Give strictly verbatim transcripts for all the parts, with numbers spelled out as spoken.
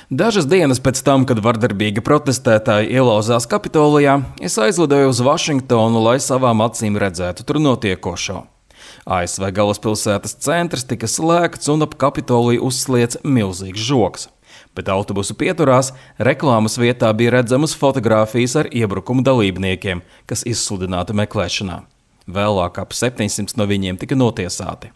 Dažas dienas pēc tam, kad vardarbīgi protestētāji ielauzās Kapitolijā, es aizlidoju uz Vašingtonu, lai savām acīm redzētu tur notiekošo. A S V galvaspilsētas centrs tika slēgts un ap Kapitoliju uzsliec milzīgs žoks. Bet autobusu pieturās reklāmas vietā bija redzamas fotogrāfijas ar iebrukumu dalībniekiem, kas izsludināti meklēšanā. Vēlāk ap septiņsimt no viņiem tika notiesāti.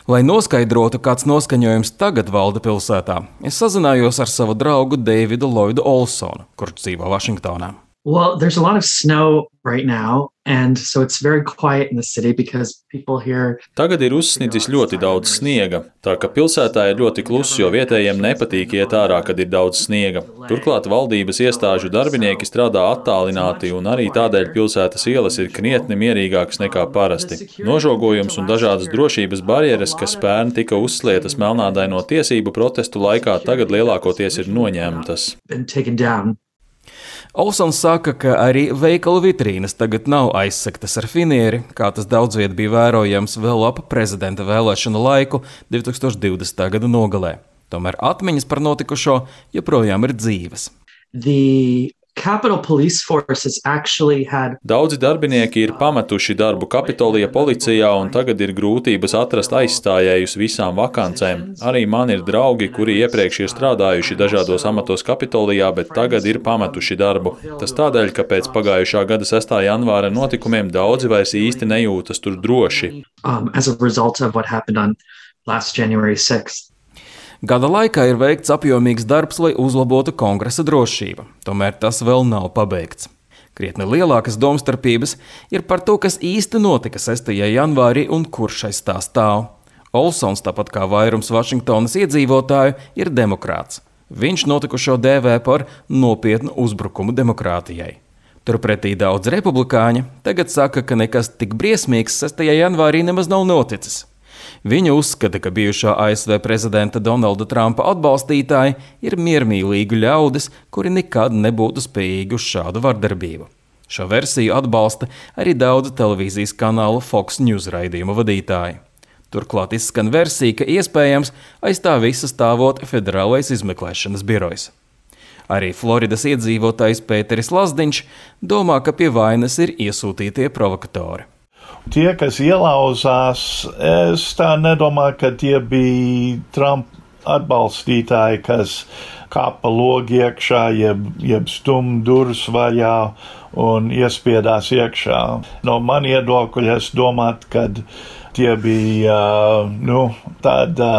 Lai noskaidrotu, kāds noskaņojums tagad valda pilsētā, es sazinājos ar savu draugu Davidu Lloydu Olsonu, kurš dzīvo Vašingtonā. Well, there's a lot of snow right now, and so it's very quiet in the city because people here... Tagad ir uzsnicis ļoti daudz sniega, tā ka pilsētā ir ļoti kluss, jo vietējiem nepatīk iet ārā, kad ir daudz sniega. Turklāt valdības iestāžu darbinieki strādā attālināti, un arī tādēļ pilsētas ielas ir krietni mierīgākas nekā parasti. Nožogojums un dažādas drošības barjeras, kas pērn tika uzslietas melnādaino tiesību protestu laikā, tagad lielākoties ir noņemtas. Olsons saka, ka arī veikalu vitrīnas tagad nav aizsegtas ar finieri, kā tas daudz viet bija vērojams vēl ap prezidenta vēlēšanu laiku divi tūkstoši divdesmitā gada nogalē. Tomēr atmiņas par notikušo joprojām ir dzīves. The Capitol Police Force has actually had... Daudzi darbinieki ir pametuši darbu Kapitolija policijā, un tagad ir grūtības atrast aizstājējus visām vakancēm. Arī man ir draugi, kuri iepriekš ir strādājuši dažādos amatos Kapitolijā, bet tagad ir pametuši darbu. Tas tādēļ, ka pēc pagājušā gada sestā janvāra notikumiem daudzi vairs īsti nejūtas tur droši. Um, as a result of what happened on last January sixth. Gada laikā ir veikts apjomīgs darbs, lai uzlabotu kongresa drošību. Tomēr tas vēl nav pabeigts. Krietni lielākas domstarpības ir par to, kas īsti notika sestajā janvārī un kurš aiz tā stāv. Olsons, tāpat kā vairums Vašingtonas iedzīvotāju, ir demokrāts. Viņš notikušo dēvē par nopietnu uzbrukumu demokrātijai. Turpretī daudz republikāņi tagad saka, ka nekas tik briesmīgs sestajā janvārī nemaz nav noticis. Viņa uzskata, ka bijušā A S V prezidenta Donalda Trumpa atbalstītāji ir miermīlīgi ļaudis, kuri nekad nebūtu spējīgi uz šādu vardarbību. Šo versiju atbalsta arī daudzu televīzijas kanālu Fox News raidījumu vadītāji. Turklāt izskan versija, ka iespējams aiz tā visa stāvot Federālais izmeklēšanas birojs. Arī Floridas iedzīvotājs Pēteris Lazdiņš domā, ka pie vainas ir iesūtītie provokatori. Tie, kas ielauzās, es tā nedomāju, ka tie bija Trump atbalstītāji, kas kāpa logi iekšā, jeb, jeb stum durvis vaļā un iespiedās iekšā. No man iedokļa es domātu, ka tie bija nu, tāda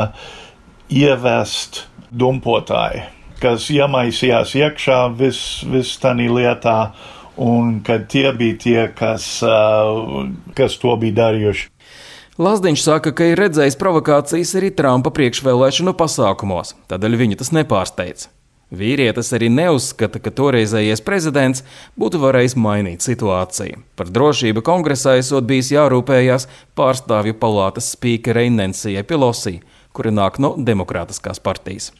ievest dumpotāji, kas iemaisījās iekšā vis, vis tanī lietā, un kad tie bija tie, kas, uh, kas to bija darījuši. Lazdiņš saka, ka ir redzējis provokācijas arī Trumpa priekšvēlēšanu pasākumos, tādēļ viņu tas nepārsteidz. Vīrietis arī neuzskata, ka toreizējais prezidents būtu varējis mainīt situāciju. Par drošību kongresā esot bijis jārūpējās pārstāvju palātas spīkerei Nancyjai Pelosī, kura nāk no demokrātiskās partijas.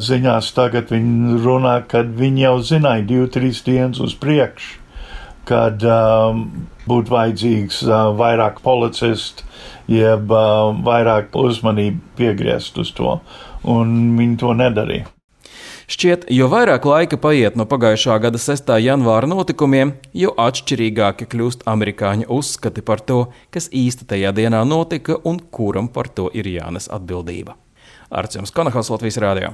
Ziņās tagad viņi runā, kad viņi jau zināja divu, trīs dienas uz priekšu, kad um, būtu vajadzīgs uh, vairāk policistu, jeb uh, vairāk uzmanību piegriezt uz to, un viņi to nedarīja. Šķiet, jo vairāk laika paiet no pagājušā gada sestā janvāra notikumiem, jo atšķirīgāki kļūst amerikāņu uzskati par to, kas īsti tajā dienā notika un kuram par to ir jānes atbildība. Arts Jums Konahals, Latvijas Rādio.